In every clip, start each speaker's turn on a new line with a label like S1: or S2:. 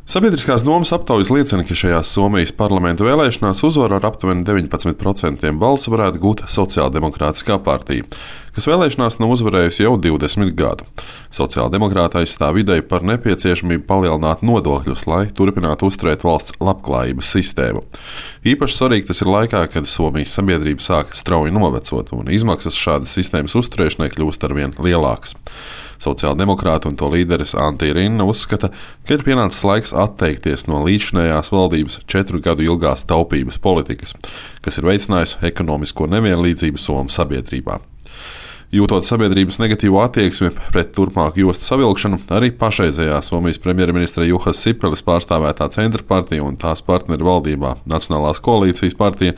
S1: Sabiedriskās domas aptaujas liecina, ka šajās Somijas parlamenta vēlēšanās uzvaru ar aptuveni 19% balsu varētu gūt Sociāldemokrātiskā partija, kas vēlēšanās nav uzvarējusi jau 20 gadu. Sociāldemokrāti aizstāv ideju par nepieciešamību palielināt nodokļus, lai turpinātu uzturēt valsts labklājības sistēmu. Īpaši svarīgi tas ir laikā, kad Somijas sabiedrība sāk strauji novecot un izmaksas šādas sistēmas uzturēšanai kļūst arvien lielākas. Sociāldemokrāti un to līderis Antti Rinne uzskata, ka ir pienācis laiks atteikties no līdzinējās valdības 4 gadu ilgās taupības politikas, kas ir veicinājusi ekonomisko nevienlīdzību Somu sabiedrībā. Jūtot sabiedrības negatīvo attieksmi pret turpmāku jostu savilkšanu, arī pašreizējā Somijas premjerministra Juhas Sipeles pārstāvētā Centra partija un tās partneru valdībā Nacionālās koalīcijas partija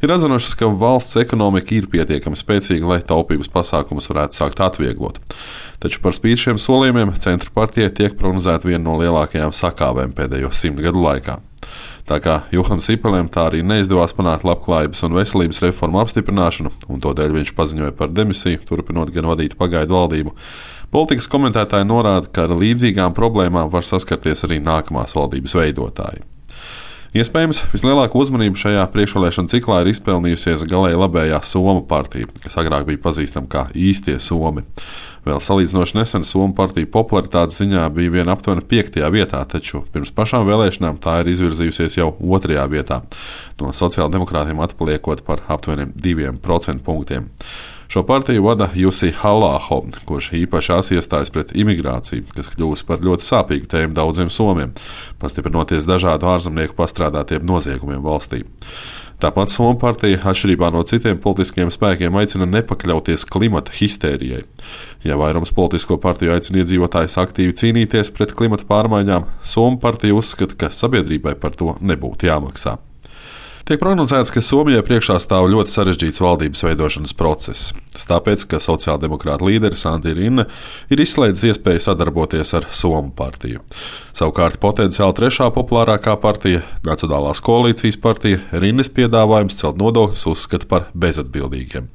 S1: ir atzinušas, ka valsts ekonomika ir pietiekami spēcīga, lai taupības pasākumus varētu sākt atvieglot. Taču par spīti šiem solījumiem Centra partijai tiek prognozēta viena no lielākajām sakāvēm pēdējo 100 gadu laikā. Tā kā Juham Sipelēm tā arī neizdevās panākt labklājības un veselības reformu apstiprināšanu, un tādēļ viņš paziņoja par demisiju, turpinot gan vadīt pagaidu valdību. Politikas komentētāji norāda, ka ar līdzīgām problēmām var saskarties arī nākamās valdības veidotāji. Iespējams, vislielāko uzmanību šajā priekšvēlēšanu ciklā ir izpelnījusies galēji labējā Somu partija, kas agrāk bija pazīstama kā īstie Somi. Vēl salīdzinoši nesen Somu partija popularitātes ziņā bija vien aptuveni 5. vietā, taču pirms pašām vēlēšanām tā ir izvirzījusies jau 2. vietā, no sociāldemokrātiem atpaliekot par aptuveni 2% punktiem. Šo partiju vada Jussi Halla-aho, kurš īpaši iestājas pret imigrāciju, kas kļūst par ļoti sāpīgu tēmu daudziem somiem, pastiprinoties dažādu ārzemnieku pastrādātiem noziegumiem valstī. Tāpat Somu partija, atšķirībā no citiem politiskiem spēkiem, aicina nepakļauties klimata histērijai. Ja vairums politisko partiju aicina iedzīvotājus aktīvi cīnīties pret klimata pārmaiņām, Somu partija uzskata, ka sabiedrībai par to nebūtu jāmaksā. Tiek prognozēts, ka Somijai priekšā stāv ļoti sarežģīts valdības veidošanas process. Tas tāpēc, ka sociāldemokrāta līderis Antti Rinne ir izslēdzis iespēju sadarboties ar Somu partiju. Savukārt potenciāli 3. populārākā partija, Nacionālās koalīcijas partija, Rinnes piedāvājums celt nodokļus uzskata par bezatbildīgiem.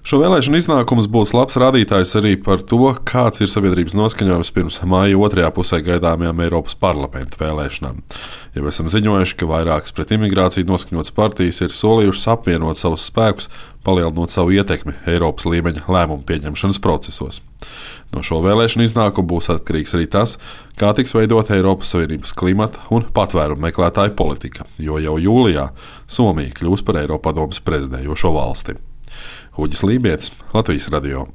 S1: Šo vēlēšanu iznākums būs labs rādītājs arī par to, kāds ir sabiedrības noskaņojums pirms māja 2. pusē gaidāmajām Eiropas parlamenta vēlēšanām. Jau esam ziņojuši, ka vairākas pret imigrāciju noskaņotas partijas ir solījušas apvienot savus spēkus, palielinot savu ietekmi Eiropas līmeņa lēmumu pieņemšanas procesos. No šo vēlēšanu iznākumu būs atkarīgs arī tas, kā tiks veidota Eiropas Savienības klimata un patvērumu meklētāju politika, jo jau jūlijā Somija kļūs par Eiropadomes prezidējošo valsti. Uģis Lībietis, Latvijas radio.